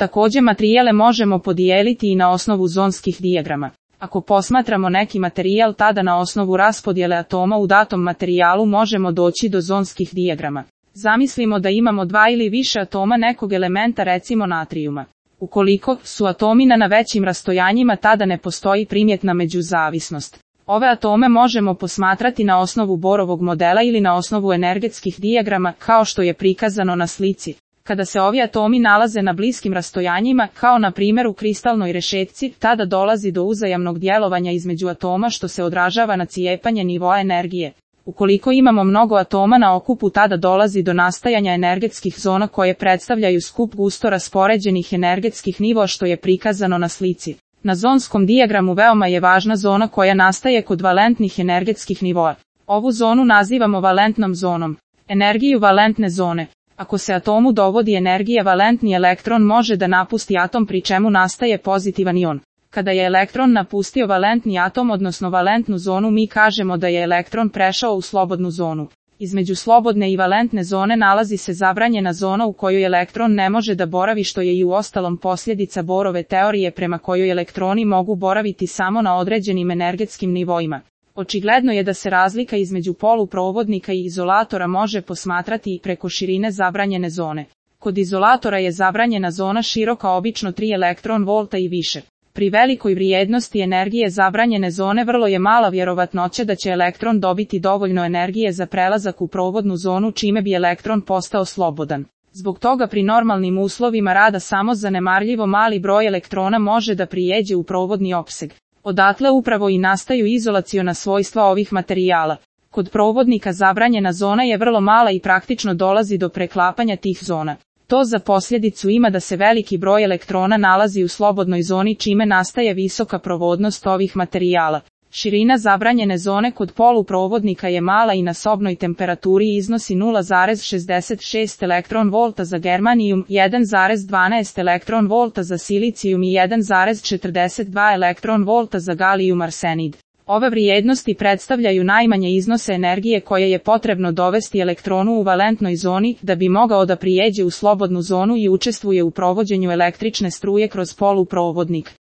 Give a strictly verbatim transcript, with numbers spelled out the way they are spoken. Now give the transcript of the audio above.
Također materijale možemo podijeliti i na osnovu zonskih dijagrama. Ako posmatramo neki materijal, tada na osnovu raspodjele atoma u datom materijalu možemo doći do zonskih dijagrama. Zamislimo da imamo dva ili više atoma nekog elementa, recimo natrijuma. Ukoliko su atomi na većim rastojanjima, tada ne postoji primjetna međuzavisnost. Ove atome možemo posmatrati na osnovu Borovog modela ili na osnovu energetskih dijagrama, kao što je prikazano na slici. Kada se ovi atomi nalaze na bliskim rastojanjima, kao na primjer u kristalnoj rešetci, tada dolazi do uzajamnog djelovanja između atoma što se odražava na cijepanje nivoa energije. Ukoliko imamo mnogo atoma na okupu, tada dolazi do nastajanja energetskih zona koje predstavljaju skup gusto raspoređenih energetskih nivoa što je prikazano na slici. Na zonskom dijagramu veoma je važna zona koja nastaje kod valentnih energetskih nivoa. Ovu zonu nazivamo valentnom zonom. Energiju valentne zone. Ako se atomu dovodi energija, valentni elektron može da napusti atom, pri čemu nastaje pozitivan ion. Kada je elektron napustio valentni atom, odnosno valentnu zonu, mi kažemo da je elektron prešao u slobodnu zonu. Između slobodne i valentne zone nalazi se zabranjena zona u kojoj elektron ne može da boravi, što je i u ostalom posljedica Borove teorije prema kojoj elektroni mogu boraviti samo na određenim energetskim nivoima. Očigledno je da se razlika između poluprovodnika i izolatora može posmatrati i preko širine zabranjene zone. Kod izolatora je zabranjena zona široka obično tri elektron volta i više. Pri velikoj vrijednosti energije zabranjene zone vrlo je mala vjerovatnoća da će elektron dobiti dovoljno energije za prelazak u provodnu zonu, čime bi elektron postao slobodan. Zbog toga pri normalnim uslovima rada samo zanemarljivo mali broj elektrona može da prijeđe u provodni opseg. Odatle upravo i nastaju izolaciona svojstva ovih materijala. Kod provodnika zabranjena zona je vrlo mala i praktično dolazi do preklapanja tih zona. To za posljedicu ima da se veliki broj elektrona nalazi u slobodnoj zoni, čime nastaje visoka provodnost ovih materijala. Širina zabranjene zone kod poluprovodnika je mala i na sobnoj temperaturi iznosi nula zarez šezdeset šest elektron volta za germanijum, jedan zarez dvanaest elektron volta za silicijum i jedan zarez četrdeset dva elektron volta za galijum arsenid. Ove vrijednosti predstavljaju najmanje iznose energije koje je potrebno dovesti elektronu u valentnoj zoni da bi mogao da prijeđe u slobodnu zonu i učestvuje u provođenju električne struje kroz poluprovodnik.